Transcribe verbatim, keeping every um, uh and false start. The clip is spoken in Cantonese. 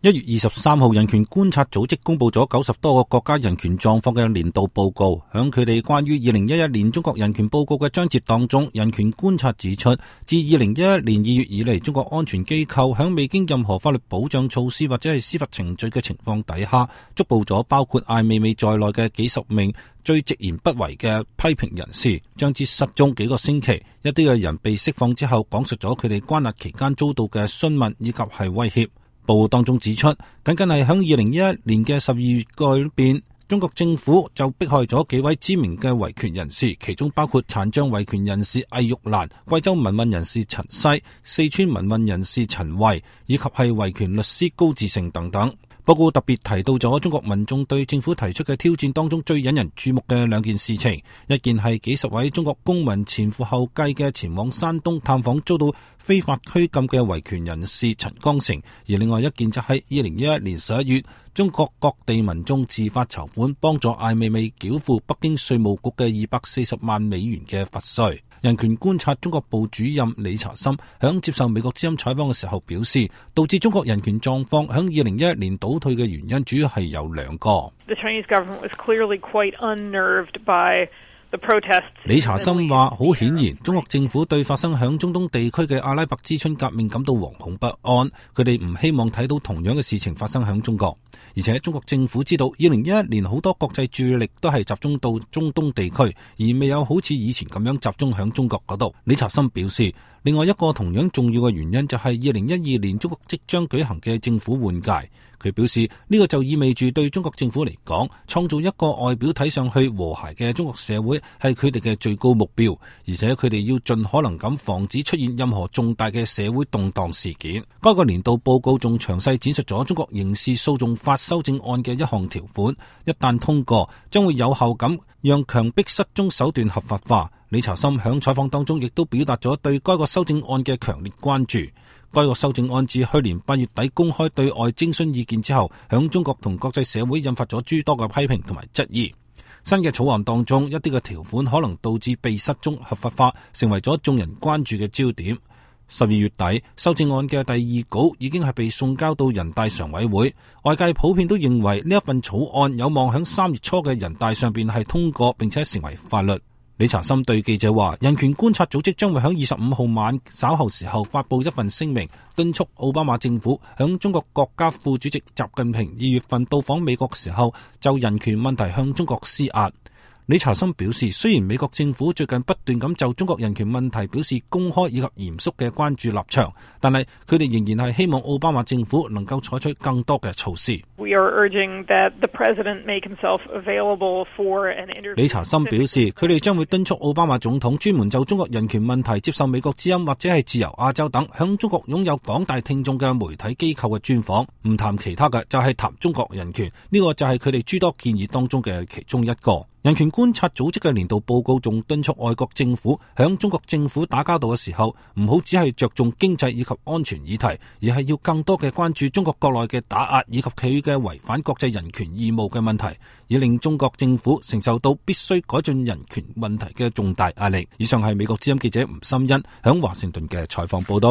一月二十三號，人權觀察組織公布咗九十多個國家人權狀況嘅年度報告。響佢哋關於二零一一年中國人權報告嘅章節當中，人權觀察指出，自二零一一年二月以嚟，中國安全機構響未經任何法律保障措施或者係司法程序嘅情況底下，捉捕咗包括艾未未在內嘅幾十名最直言不諱嘅批評人士，將之失蹤幾個星期。一啲嘅人被釋放之後，講述咗佢哋關押期間遭到嘅詢問以及係威脅。報告當中指出，僅僅係響二零一一年嘅十二月嗰邊，中國政府就迫害咗幾位知名嘅維權人士，其中包括殘障維權人士魏玉蘭、貴州民運人士陳西、四川民運人士陳慧，以及係維權律師高志勝等等。報告特別提到咗中國民眾對政府提出嘅挑戰當中最引人注目嘅兩件事情，一件係幾十位中國公民前赴後繼嘅前往山東探訪遭到非法拘禁嘅維權人士陳光誠，而另外一件就係二零一一年十一月，中國各地民眾自發籌款幫助艾未未繳付北京稅務局嘅二百四十萬美元嘅罰稅。人權觀察中國部主任理查森響接受美國之音採訪嘅時候表示，導致中國人權狀況響二零一一年倒退嘅原因主要係有兩個。The Chinese government was clearly quite unnerved by理查森話，好顯然，中國政府對發生響中東地區嘅阿拉伯之春革命感到惶恐不安，佢哋唔希望睇到同樣嘅事情發生響中國。而且中國政府知道，二零一一年好多國際注意力都係集中到中東地區，而未有好似以前咁樣集中響中國嗰度。理查森表示，另外一個同樣重要嘅原因就係二零一二年中國即將舉行嘅政府換屆。佢表示，呢個就意味住對中國政府嚟講，創造一個外表睇上去和諧嘅中國社會係佢哋嘅最高目標，而且佢哋要盡可能咁防止出現任何重大嘅社會動盪事件。該個年度報告仲詳細展述咗中國刑事訴訟法修正案嘅一項條款，一旦通過，將會有效咁讓強迫失蹤手段合法化。理查森響採訪當中亦都表達咗對該個修正案嘅強烈關注。該個修正案自去年八月底公開對外徵詢意見之後，響中國同國際社會引發咗諸多嘅批評同埋質疑。新嘅草案當中，一啲嘅條款可能導致被失蹤合法化，成為咗眾人關注嘅焦點。十二月底，修正案嘅第二稿已經係被送交到人大常委會，外界普遍都認為呢一份草案有望響三月初嘅人大上邊係通過，並且成為法律。理查森對記者話，人權觀察組織將會喺二十五號晚稍後時候發布一份聲明，敦促奧巴馬政府響中國國家副主席習近平二月份到訪美國時候，就人權問題向中國施壓。理查森表示，雖然美國政府最近不斷咁就中國人權問題表示公開以及嚴肅嘅關注立場，但係佢哋仍然係希望奧巴馬政府能夠採取更多嘅措施。We are urging that the president make himself available for an interview. 理查森表示，佢哋將會敦促奧巴馬總統專門就中國人權問題接受美國之音或者係自由亞洲等向中國擁有廣大聽眾嘅媒體機構嘅專訪，唔談其他嘅，就係談中國人權。呢個就係佢哋諸多建議當中嘅其中一個。人權觀察組織嘅年度報告仲敦促外國政府響中國政府打交道嘅時候，唔好只係着重經濟以及安全議題，而係要更多嘅關注中國國內嘅打壓以及佢嘅違反國際人權義務嘅問題，以令中國政府承受到必須改進人權問題嘅重大壓力。以上係美國之音記者吳心欣響華盛頓嘅採訪報道。